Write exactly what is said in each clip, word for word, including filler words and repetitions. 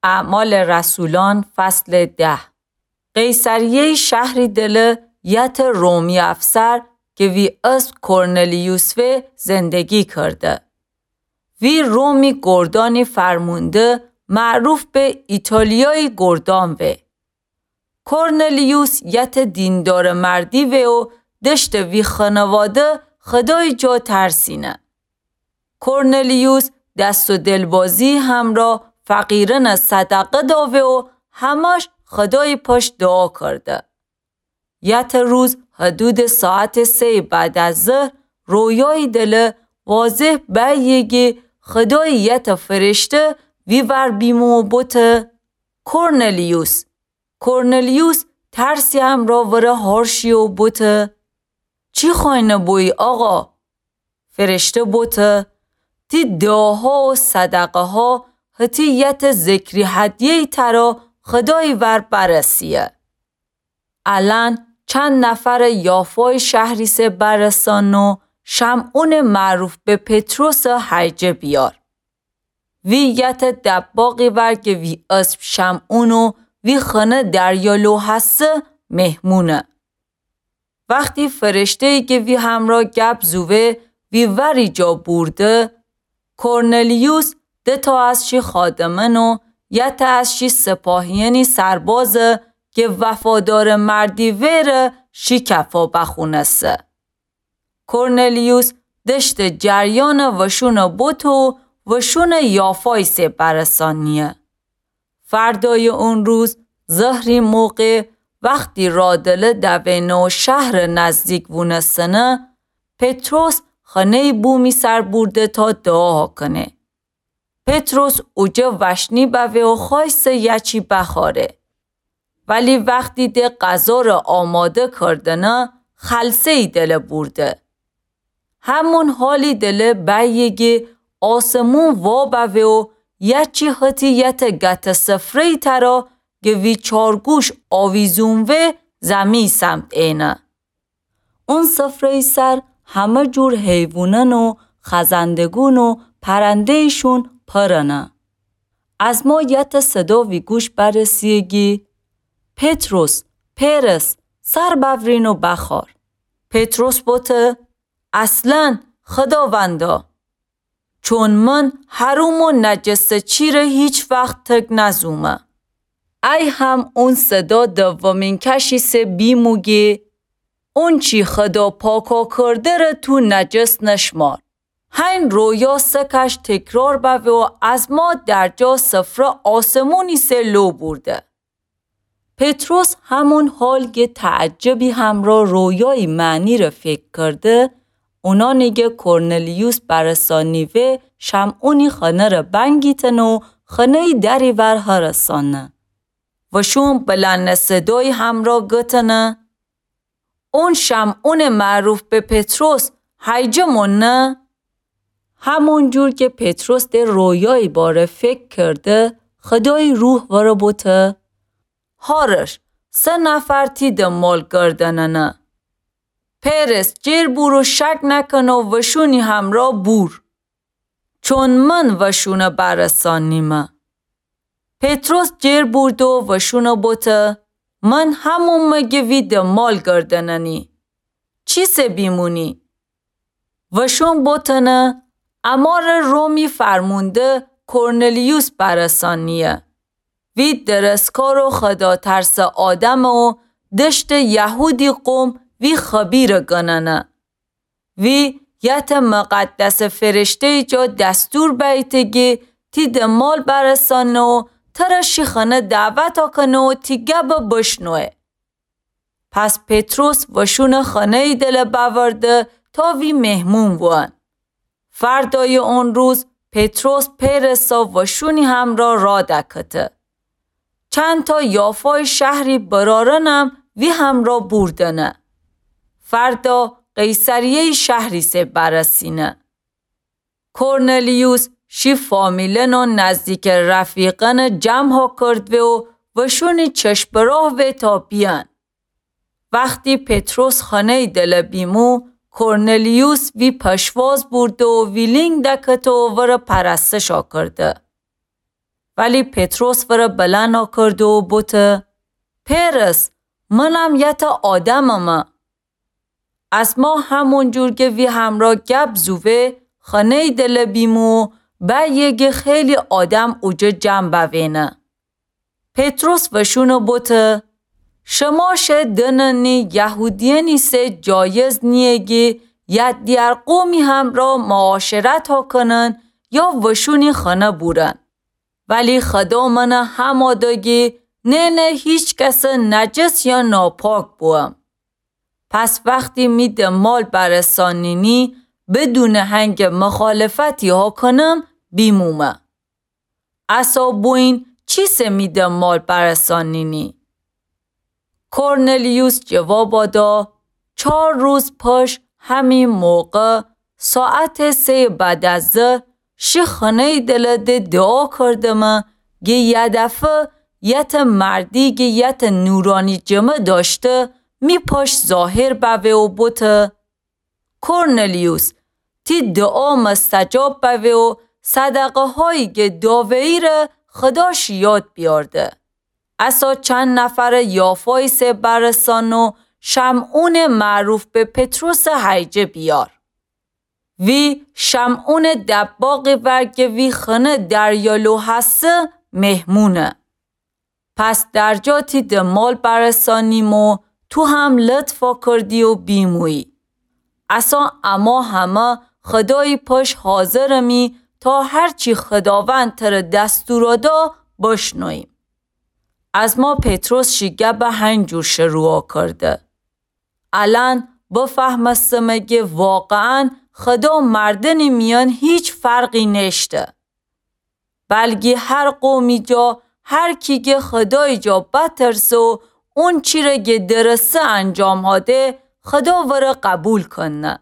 اعمال رسولان، فصل ده. قیصریه‌یٚ شهری دله یتٚ رومی افسر کی وی اسم کرنلیوس وه زندگی کرده. وی رومی گردأنی فرمونده معروف به ایتالیایٚ گردأن وه. کرنلیوس یتٚ دیندارٚ مردی وه و دشته وی خانواده خودایٚ جا ترسینه. کرنلیوس دست و دلبازی همرا فقیرأنٚ صدقه داوه و همش خودایٚ پشت دوعا کرده. یتٚ روز حدودٚ ساعتٚ سه‌یٚ بعد از ظهر رویایی دله واضح بأیه گی خودایٚ یتٚ فرشته وی ور بیمو و بوته: کرنلیوس. کرنلیوس ترسی همرا وره هارشی و بوته: چی خوأینه بویی آقا؟ فرشته بوته: تی دوعاها و صدقه‌ها هتی یتٚ ذکری هدیه‌یی ترا خودایٚ ور برسیه. الأن چند نفرٚ یافایٚ شهر ایسه برسان و شمعونٚ معروف به پطرسٚ هیجه بیار. وی یتٚ دباغی ور کی وی اسم شمعون و وی خانه دریا لو هسه مهمونه. وختی فرشته‌یی کی وی همرا گب زووه وی وری جا بورده، کرنلیوس دو تا از شی خادمأن و یتٚ از شی سپاهیأنی سربازه کی وفادارٚ مردی وره شی کفا بخوأنسه. کرنلیوس دشته جریانٚ وشونٚ بوته و وشونٚ یافا ایسه برسانیه. فردایٚ اون روز ظهری موقع وختی راه دله دوینه و شهرٚ نزدیک وونستنه، پطرس خانه‌یٚ بومی سر بورده تا دوعا کنه. پطرس اوجه وشنی بوه و خوأیسه یه چی بخوأره. ولی وختی ده غذا ره آماده کردنه، خلسه‌یی دله بورده. همون حالی دله بأیه گی آسمون وا بوه و یه چی هتی یتٚ گته سفره‌یی ترا گه وی چارگوش آویزون وه زمی سمت اینه. اون سفره‌یٚ سر همه جور حیوونأن و خزندگون و پرنده‌یشون پرنه. از ما یتٚ صدا وی گوش برسیه گی: پطرس، پئرس، سر بأورین و بخوأر. پطرس بوته: اصلاً خداوندا، چون من حروم و نجسٚ چی ره هیچ وخت تک نزومه. ای هم اون صدا دومین کش ایسه بیمو گی: اونچی خدا پاکا کرده ره تو نجس نشمار. هین رویا سه کش تکرار بوه و از ما در جا سفره آسمونی سه لو بورده. پطرس همون حال گه تعجبی همرا رویایٚ معنی ره فکر کرده، اونانی گه کرنلیوس برسانیوه شمعونی خانه ره بنگیتنه و خانه‌یٚ دری ور هرسانه. وشون بلند صدایی همرا گتنه: اون شمعونٚ معروف به پطرس هیجه مونه؟ همون جور که پطرس ده رویایٚ باره فکر کرده، خدایٚ روح وره بوته: هارش، سه نفر تی دنبال گردننه. پئرس، جیر بور و شک نکن و وشونی همرا بور. چون من وشونه برسانیمه. پطرس جیر بورده و وشونه بوته: من همومه گه وی دنبال گردننی. چیسه بیمونی؟ وشون بوتنه: اماره رومی فرمونده کرنلیوس برسانیه. وی درستکار و خداترسٚ آدمه و دشتٚ یهودی قوم وی خبیره گننه. وی یتٚ مقدسٚ فرشته‌یٚ جا دستور بیته گی تی دنبال برسانه و تره شی خانه دعوت کنه و تی گبه بشنوه. پس پطرس وشونه خانه‌یٚ دله بأورده تا وی مهمون وون. فردایٚ اون روز پطرس پئرسا وشونی همرا راه دکته. چندتا یافایٚ شهری برارنم وی همرا بوردنه. فردا قیصریه‌یٚ شهری سه برسینه. کرنلیوس شی فامیلن و نزدیکٚ رفیقأنه جمعا کردوه و وشونی چشم به راه وه تا بیأن. وختی پطرس خانه‌یٚ دله بیمو، کرنلیوس وی پشواز بورده و ویلینگ دکته و وره پرستشا کرده. ولی پطرس ورَ بلند آکرده و بوته: پئرس، منم یتأ آدممه. از ما همون جور گه وی همرأ گب زووه، خانه‌یی دله بیمو و بأیه گه خیلی آدم اوجه جمع بوینه. پطرس وشونَ بوته: شما شه دننی یهودیأنی سه جایز نییه گه یأ دیگر قومی همرأ معاشرت هاکنن یا وشونی خانه بورن. ولی خدا منَ هماده گه نئنه هیچ کسٚ نجس یا ناپاک بوم. پس وختی می دنبال برسانینی، بدونٚ هنگٚ مخالفتی هاکنم بیمومه. اسا بویین چیسه می دنبال برسانینی؟ کرنلیوس جوابا دا: چار روز پش همین موقع، ساعتٚ سه‌یٚ بعد از ظهر، شی خانه‌یی دله ده دوعا کردمه گه یه دفعه یتأ مردی گه یتأ نورانی جمه دأشته می پش ظاهر بوه و بوته: کرنلیوس، تی دوعا مستجاب بوه و صدقه‌هایی گه داوه‌یی ره خدا شی یاد بیأرده. اسا چند نفرٚ یافه‌یی سه برسان و شمعونٚ معروف به پطرسٚ هیجه بیار. وی شمعونٚ دباغی ور گه وی خانه دریا لو هسه مهمونه. پس درجا تی دنبال برسانیم و تو هم لطف آکردی و بیمویی. اسا اما همه خدایی پش حاضرمی تا هرچی خداوند تره دستورا دا بشنوییم. از ما پطرس شی گبه هنجور شروع آکرده. الأن بفهمستمه گه واقعاً خدا مردنی میأن هیچ فرقی نشته. بلگی هر قومی جا هر کی گه خدایی جا بترسه و اونچی ره گه درسته انجام هاده، خدا ورَ قبول کنه.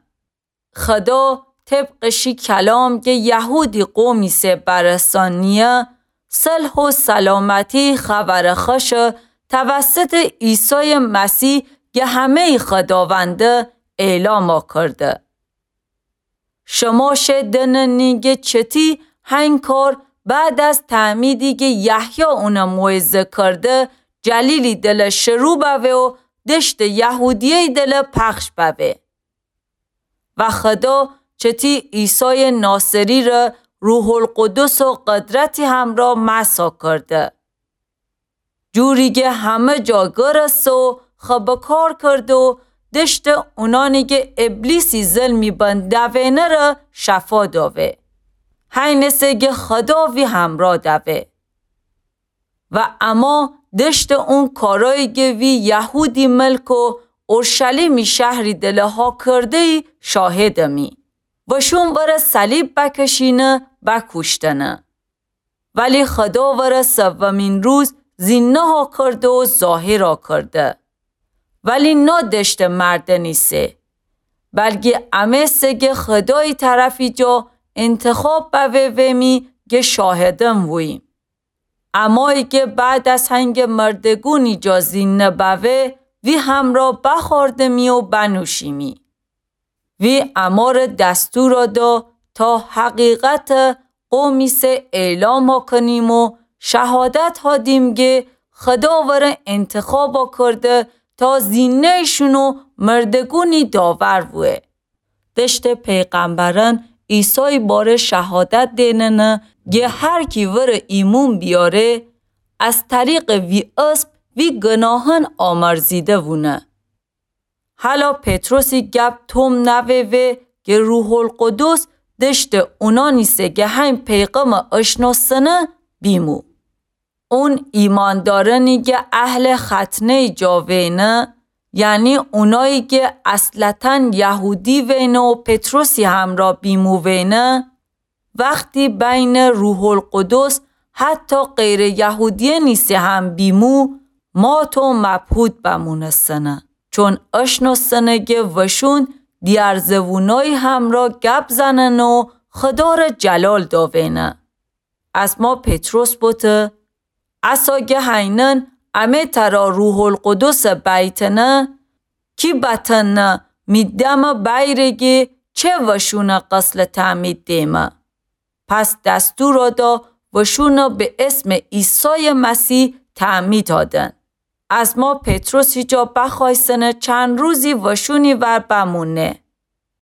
خدا طبقٚ شی کلام گه یهودی قومی سه برسانیه، صلح و سلامتی خبرٚ خوشَ توسطٚ عیسایٚ مسیح گه همه‌یٚ خداونده اعلام آکرده. شما شه دننی گه چتی هنگ کار بعد از تعمیدی گه یحیی اونَ موعظه کرده، جلیلی دله شروع بوه و دشتٚ یهودیه‌یی دله پخش بوه. و خدا چتی عیسایٚ ناصری ره روح‌القدس و قدرتی همرأ مسح کرده. جوری گه همه جا گرسته و خبه کار کرده و دشتٚ اونانی گه ابلیسی ظلمی بن دوینه ره شفا دوه. هینه سه گه خدا وی همرأ دوه. و اما دشتٚ اون کارایی گه وی یهودی ملک و اورشلیمی شهری دله ها کرده‌یی شاهدمی. وشون ورَ صلیب بکشینه، بکوشتنه. ولی خدا ورَ سومین روز زینده ها کرده و ظاهر ها کرده. ولی نا دشتٚ مردنی سه، بلگی امه سه گه خدایی طرفی جا انتخاب بوه ومی گه شاهدن ووییم. امایی گه بعد از هنگٚ مردگونی جا زینده بوه، وی همرأ بخوردمی و بنوشیمی. وی امارَ دستورَ دا تا حقیقتَ قومی سه اعلام کنیم و شهادت هادیم گه خدا ورَ انتخاب کرده تا زینه‌یشون و مردگونی داور ووه. دشتٚ پیغمبرأن عیسای باره شهادت دیننه گه هر کی ورَ ایمون بیاره، از طریقٚ وی اسم وی گناهأن آمرزیده وونه. هلا پطرسی گب توم نووه گه روح‌القدس دشتٚ اونانی سه گه هین پیغمَ اشناسنه بیمو. اون ایماندارأنی گه اهلٚ ختنه‌یٚ جا وینه، یعنی اونایی گه اصلتاً یهودی وینه و پطرسی همرأ بیمو وینه، وختی بین روح‌القدس حتی غیرٚ یهودیأنی سه هم بیمو، مات و مبهوت بمونستنه، چون اشنوستنه گه وشون دیار زبونایی همرأ گب زننه و خدارٚ جلال دوینه. اسما پطرس بوته، اسا گه هینن امه ترا روح‌القدس بیتنه، کی بتأنه می دمٚ بیره گه چه وشونٚ غسلٚ تعمید دیمه؟ پس دستور دا وشونَ به اسمٚ عیسایٚ مسیح تعمید دادن. از مار پطرس هیجا بخوأیسنه چند روزی وشونی ور بمونه.